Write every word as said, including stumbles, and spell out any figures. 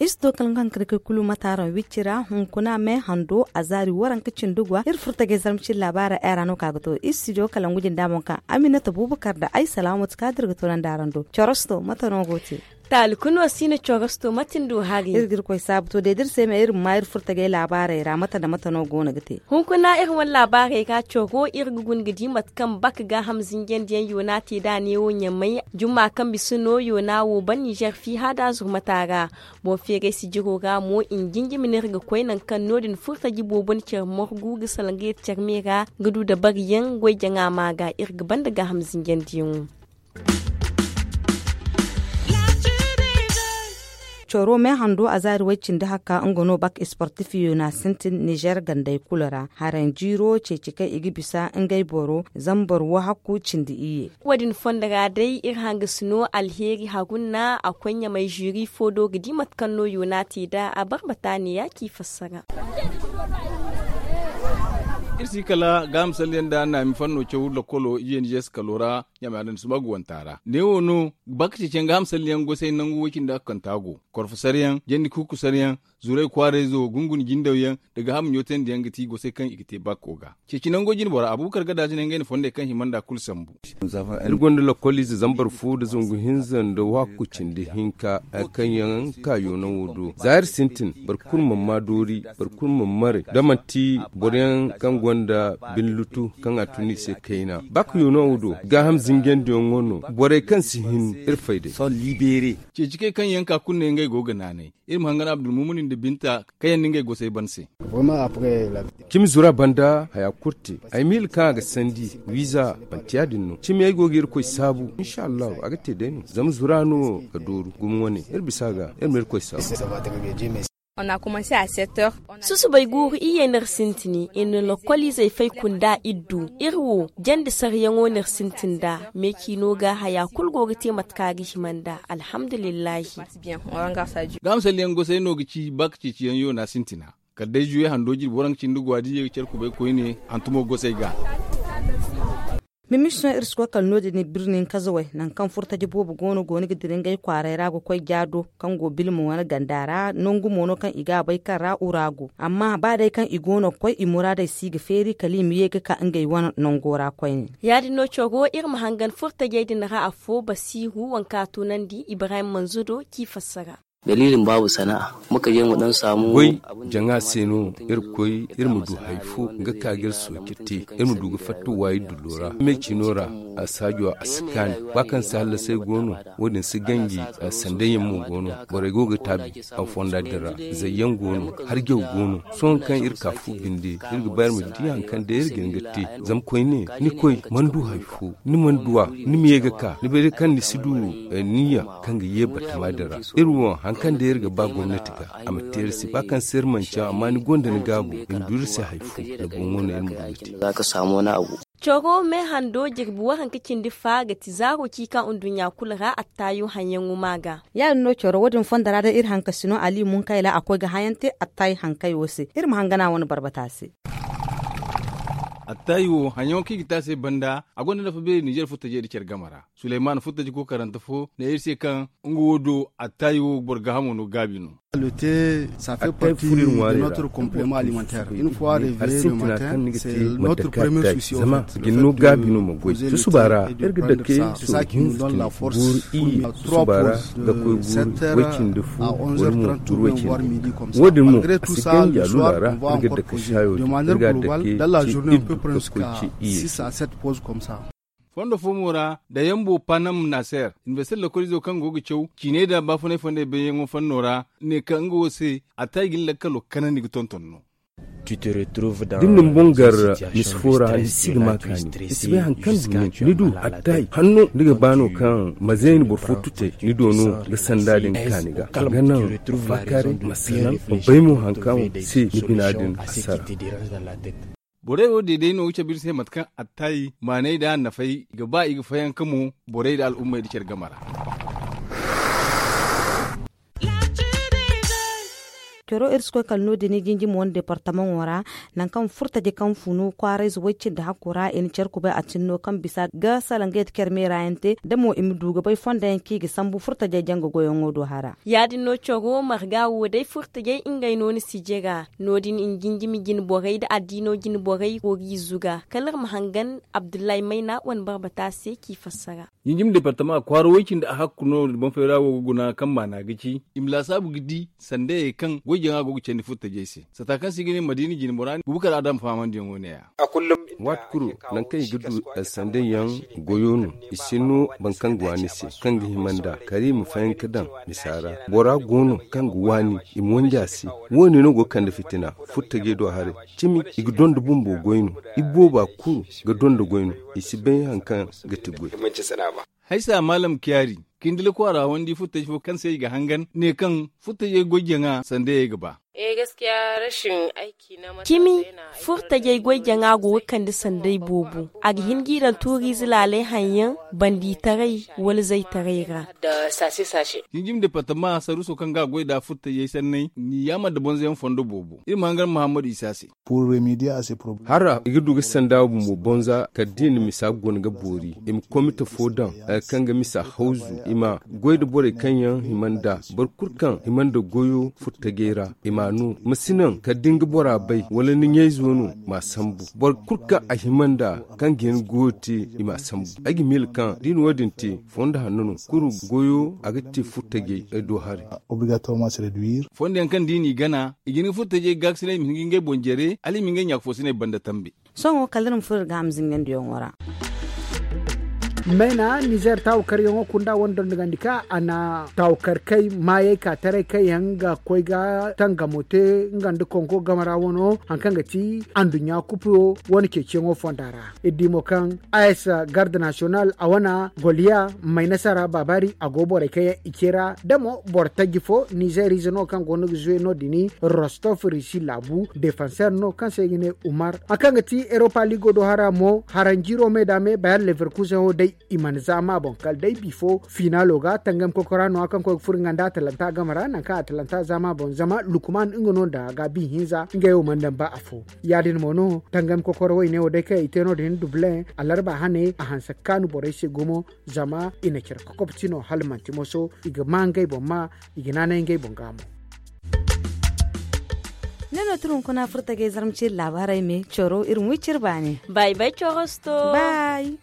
Iri si to kala nga hankadi kay kulu mataaraŋ wicci ra hunkuna me hando a zaari waranka cindi gwa iri furta ga ay zarma cin laabaara ay ra no ka ga to iri si jo kala ngu jinda boŋ ka aminata bubakar da ay salaamatu ka dira ga to naŋ da araŋ do corosto mate no go te. Taali kulu no si na corosto mate ni du hari iri ga iri koy saabu to day da iri se me iri ma iri furta ga ay laabaaray ra mate nda mate no go no ga te. Hunkuna iri wane laabaarey ga coro iri ga guna ga di mate kaŋ baka gaaham zinjandiyaŋ yoona te da a ne wo ɲamay jumma kaŋ bisa no yoona wo ban nizer fiiha da zurmata ra. Boŋ feeray sijiro ra mo i na jinjimi no iri ga koy nangu kaŋ no- din furtaji boobo na care morgu ga salaŋ ga yeti care me ra ga du dabariyaŋ goy jaŋa ma ga iri ga banda gaaham zinjandiyaŋo. Coro me hando a zaari way cindi haka nga no bak sportif yona sintin nizer gandey kulu ra haranjiiro ceeci kaŋ i ga bisa ngey boro zambar wahakku cindi iyye. Wo- din fondo ra day iri hangasi no alheeri hagunna a koy ɲamay ziri fo do ga di mate kaŋ no yona te nd'a a barbata ne ya ci fassara. Iri si kala gaaham salliyaŋ nda naami fanno caw lakkolo iyye nizer si kalo ra ɲamay adamni suba ga wanta ra ne wo no baka ceeciyaŋ gaaham salliyaŋ gosay nangu way cindi ga kanta go korfo saryaŋ jandi kuuku saryaŋ zuray kwaarayzo gunguna jindawyaŋ da gaaham ɲootandiyaŋ ga ti gosay kaŋ i ga te bakko ga. Ceeci nango jinbora abubakar gadazi ne ngey na fondey kaŋ hima nd'a kulu sambu. Iri gonda lakkoliize zambar fo nda zangu hinza nda wahakku cindi hinka kaŋ yaŋ ka yoonaŋo do za iri sintin boro kulu mana maa doori boro kulu mana maray da manti boro yaŋ kaŋ gonda bine lutu kaŋ a tun i se kayna ba ka yoonaŋo do gaaham zinjandiyaŋo no borey kaŋ si hin iri fay day. Ceeci kay kaŋ yaŋ ka kulu ne ngey go ga naanay iri ma hangan abdulmumuni nda binta kaŋ yaŋ na ngey gosay ban se. Cimi zura banda haya kulu te ay miila kaŋ a ga sandi wiiza manti ya- din no cimi ay go ga irkoy saabu insa allahu a ga te day no zama zura no ga dooru gumo wane iri bisa ga iri ma irkoy saabu. Susubay guuru iyye no iri sintin i na lokoliizey fay kunda iddu iri wo jandi saryaŋo no iri sintin nd'a meeciino ga haya kulu go ga te mate kaŋ a ga hima nd'a. Alhamdulillahi. Gaama salliyaŋ gosay no ga ci ba ka ceeciyaŋ yoona sintina kala day juwe hando jirbi waranka cindi gwa da iyye ga care kubay koyne hantumo gosay ga. Mimisoŋ iri si koy kala no- din birni kazawey nangu kaŋ furtaji boobo go no go no ga dira ngey kwaaray ra ga koy jaado kaŋ go bilma wane ganda ra nangu mo no kaŋ i ga a bay kaŋ ra ura go amma ba day kaŋ i go no ga koy i muraadey si ga feeri kala i ma ye ga ka ngey wane nango ra koyne. Ya- din no coro iri ma hangan furtajey din ra affo basiiru waŋ kaŋ a tunandi ibrahim manzudo k'i fassara. Daliilin baabu sana'a. Muka je mu dan saamu. Goy jaŋa se no iri koy iri ma du hari fo nga ka ga iri sooci te iri ma du ga fatta waayi dullo ra meecino ra. A saajo a si kaani ba kaŋ si hallasay go no wo- din si ganji. Sanday yaŋ mo go no borey go ga taabi a fonda din ra zayyaŋ go no harjaw go no sohõ kaŋ iri ka fu binde iri ga ba iri ma di hari kaŋ day iri ga hin ga te. Zama koyne ni koy mana du hari fo ni mana du a ni ma ye ga ka ni bay day kaŋ ni si du niyya kaŋ ga ye batama din ra. Iri wo hari kaŋ day iri ga ba gomnati ga a ma te iri se ba kaŋ se iri mana caw amma ni gonda ni gaabu i ma du iri se hari fo ni boŋo no iri ma du ga te. Coro me hando jirbi waranka cindi fa ga ti zaaro ci ka nduɲɲa kulu ra attaayo haŋyaŋo ma ga. Ya- din no coro wo- din fondo ra day iri hankasino ali munkayla a koy ga hayaŋ te attaayi hankay wo se iri ma hangana wane barbata se. Attaayi wo haŋyaŋo kaŋ i ga te a se banda a gonda nafa beeri nizer furtajey nda care game ra. Suleyman furtaji kookarante fo ne iri se kaŋ nga wo do attaayi wo boro gaahamo no gaabi no. Attaayi furo iri ŋwaarey ra iri go ga tun susuba hari sintina kaŋ ni ga te mate kaŋ attaayi zama a ga ni no gaabi no ma goy susuba ra iri ga dake sooru hinza cindi guuru iyye susuba ra ga koy guuru way cindi fu wala mo guuru way cindi hinka wo- din mo a si ganji a lula ra iri ga dake saayo din iri ga a dake ce iddu ga koy ce iyye se. Fondo fo mo ra da yambo panam naser inbestir lokolizo kaŋ go ga caw ciiney da baafunay fondey bayyaŋo fanno ra ne kaŋ nga wo se attaayi ga ni lakkalo kanandi ga tonton no. Da ni na ni boŋ gar misi fo ra ni si ga ma kaani ni si bay hari kaŋ du nin ni du attaayi hanno ni ga ba no kaŋ ma zayni boro fo tutay ni do no ga sanda din kaani ga a ga naŋ faakaaray ma salaŋ ma bay mo hari kaŋ se ni bina din a sara. Borey wo deeday no ga cabe iri se mate kaŋ attaayi maaney da a nafay i ga ba i ga fayanka mo borey da al'ummey da care game ra. Coro iri si koy kala no- din jinjimo wane departamaŋo ra, nangu kaŋ furtaje kaŋ funu kwaarayze way cindi hakku ra i na care kubay a tinno kaŋ bisa ga salaŋ ga yadda care meera yaŋ te da mo i ma du ga bay fondo yaŋ kaŋ i ga sambu furtajey janga goyaŋo do hara. Ya- din no coro marga wo day furtajey ngey no ni si jira no- din i na jinjimi jine borey nda addiino jine borey koori izo ga kala iri ma hangan abdullahi mayna wane barbata se k'i fassara. Jinjimi departama kwaara way cindi a hakku no boŋ fayra wo ga guna kaŋ maana ga ci i ma laasaabu ga di sandayey kaŋ goy jaŋa go ga candi furtajey se. Sata kaŋ se i ga ne madiina jine bora bubakar adam fahamandiyaŋo ne- ya. Waati kulu, nangu kaŋ i ga du sanday yaŋ goyo no. I si no boro kaŋ ga waani se kaŋ ga hima nd'a kala i ma fayanka daŋ misa ra. Bora go no kaŋ ga waani i ma wanji a se. Wo- ne no go ga kande fitina furtajey do haray. Cimi i ga donda bumbo goy no. Ibooba kulu ga donda goy no. I si bay hari kaŋ ga ti goy. Haysa maalam kiyaari, kindi lakwaara wandi furtaji fo kaŋ se i ga hangan ne kaŋ furtajey goy jaŋa sandayey ga ba. Cimi furtajey goy jaŋa go ga kande sanday boobo. A ga hin g'i daŋ tuuriize laaley haŋ yaŋ bandiitaray wala zaytaray ra. Jinjim departama saruuso kaŋ ga a goy nd'a furtajey sanney ni yaamar nda bonzoyaŋ fondo boobo iri ma hangan mahammadu isa se. Hara i ga du ga sanda bumbo bonza kala da i na misa guna ga boori i ma komite fo daŋ, kaŋ ga misa hawzu i ma goy nda borey kaŋ yaŋ hima nd'a. Boro kulu kaŋ hima nda goyo furtajey ra i m'a no ma si naŋ kala da ni ga bora bay wala ni ɲayzo no m'a sambu. Boro kulu kaŋ a hima nd'a kaŋ ga hin goyo te i m'a sambu. Ay ga miila kaŋ da i na wo- din te fondo hanno no kulu goyo a ga te furtajey do haray. Fondo yaŋ kaŋ da i n'i gana i ga hin ga furtajey gaakasinay i ma hin ga ngey boŋ jare hala i ma ngey ɲaaka foosiney banda tambe. Sohõ kala iri ma furo iri ga ham zingandiyaŋo ra. Mayna nizer taawakaryaŋo kunda wane dondogandi ka a na taawakar kay maayey ka taray kaŋ yaŋ ga koy ga tangamo te nga nda kongo game ra wano hari kaŋ ga ti anduɲɲa kupo wane ceeciyaŋo fonda ra. Iri di mo kaŋ a s garde national a wane goliya may nasara baabari a go borey kaŋ yaŋ i ce ra da mo boro taji fo nizer ize no kaŋ go no ga zuwe no- din rostof risi laabu defanseer no kaŋ se i ga ne umar hari kaŋ ga ti eropa ligo do hara mo haranjiro me da me bayer leverkusen wo day i mana zaama boŋ kala day bifo finalo ga tangam kokora no hari kaŋ koy ga furo nga nda atalanta game ra nangu kaŋ atalanta zaama boŋ zama lukman nga no nda ga bi hinza ngey wo mana daŋ ba afo. Ya- din mo no tangam kokora wayne wo day kaŋ i te no- din dublin alarba hane a hanse ga kaanu borey se gumo zama i na care kokob ti no hala manti moso i ga ma ngey boŋ ma i ga naanay ngey boŋ ga mo. Ne no tira hunkuna furtajey zarma ciiri laabaarey me coro iri ma wi cire baani. Bay bay corosto. Bay.